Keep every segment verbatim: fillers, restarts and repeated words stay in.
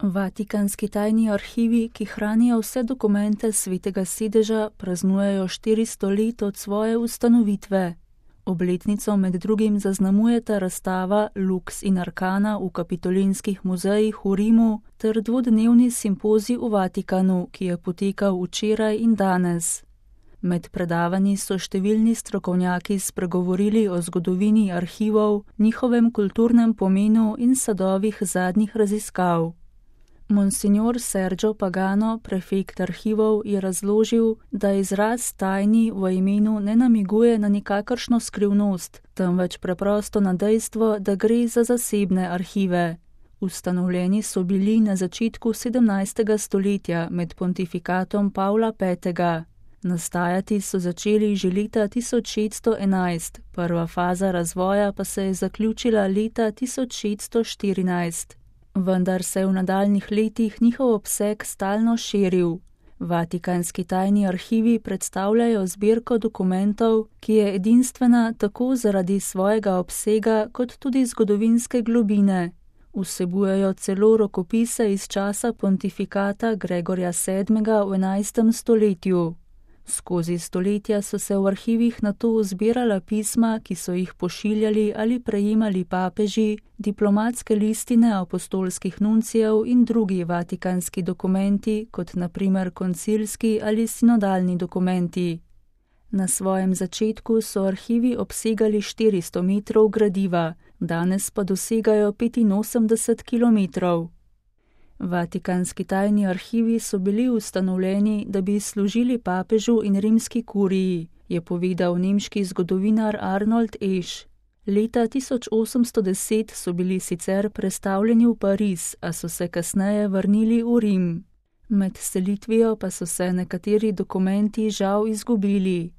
Vatikanski tajni arhivi, ki hranijo vse dokumente Svetega sedeža, praznujejo štiristo let od svoje ustanovitve. Obletnico med drugim zaznamujeta razstava Lux in Arcana v Kapitolinskih muzejih v Rimu ter dvodnevni simpozij v Vatikanu, ki je potekal včeraj in danes. Med predavanji so številni strokovnjaki spregovorili o zgodovini arhivov, njihovem kulturnem pomenu in sadovih zadnjih raziskav. Monsignor Sergio Pagano, prefekt arhivov, je razložil, da izraz tajni v imenu ne namiguje na nikakršno skrivnost, temveč preprosto na dejstvo, da gre za zasebne arhive. Ustanovljeni so bili na začetku sedemnajstega stoletja med pontifikatom Pavla petega. Nastajati so začeli že leta tisoč šeststo enajst, prva faza razvoja pa se je zaključila leta tisoč šeststo štirinajst. Vendar se je v nadaljnih letih njihov obseg stalno širil. Vatikanski tajni arhivi predstavljajo zbirko dokumentov, ki je edinstvena tako zaradi svojega obsega kot tudi zgodovinske globine. Vsebujejo celo rokopise iz časa pontifikata Gregorja sedmega v enajstem stoletju. Skozi stoletja so se v arhivih nato zbirala pisma, ki so jih pošiljali ali prejemali papeži, diplomatske listine apostolskih nuncijev in drugi vatikanski dokumenti, kot na primer koncilski ali sinodalni dokumenti. Na svojem začetku so arhivi obsegali štiristo metrov gradiva, danes pa dosegajo petinosemdeset kilometrov. Vatikanski tajni arhivi so bili ustanovljeni, da bi služili papežu in rimski kuriji, je povedal nemški zgodovinar Arnold Eš. Leta tisoč osemsto deset so bili sicer prestavljeni v Pariz, a so se kasneje vrnili v Rim. Med selitvijo pa so se nekateri dokumenti žal izgubili.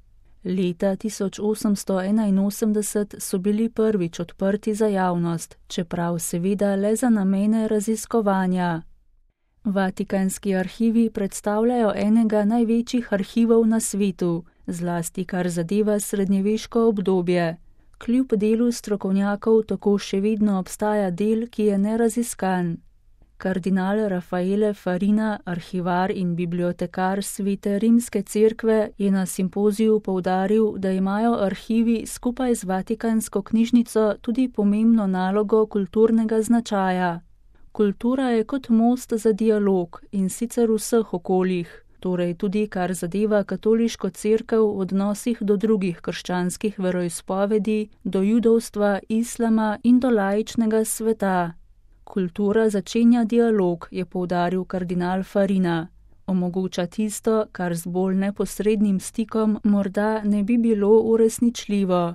Leta tisoč osemsto enainosemdeset so bili prvič odprti za javnost, čeprav seveda le za namene raziskovanja. Vatikanski arhivi predstavljajo enega največjih arhivov na svetu, zlasti kar zadeva srednjeveško obdobje. Kljub delu strokovnjakov tako še vedno obstaja del, ki je neraziskan. Kardinal Raffaele Farina, arhivar in bibliotekar Svete rimske cerkve, je na simpoziju poudaril, da imajo arhivi skupaj z Vatikansko knjižnico tudi pomembno nalogo kulturnega značaja. Kultura je kot most za dialog, in sicer v vseh okoljih, torej tudi kar zadeva katoliško cerkev v odnosih do drugih krščanskih veroizpovedi, do judovstva, islama in do laičnega sveta. Kultura začenja dialog, je poudaril kardinal Farina. Omogoča tisto, kar z bolj neposrednim stikom morda ne bi bilo uresničljivo.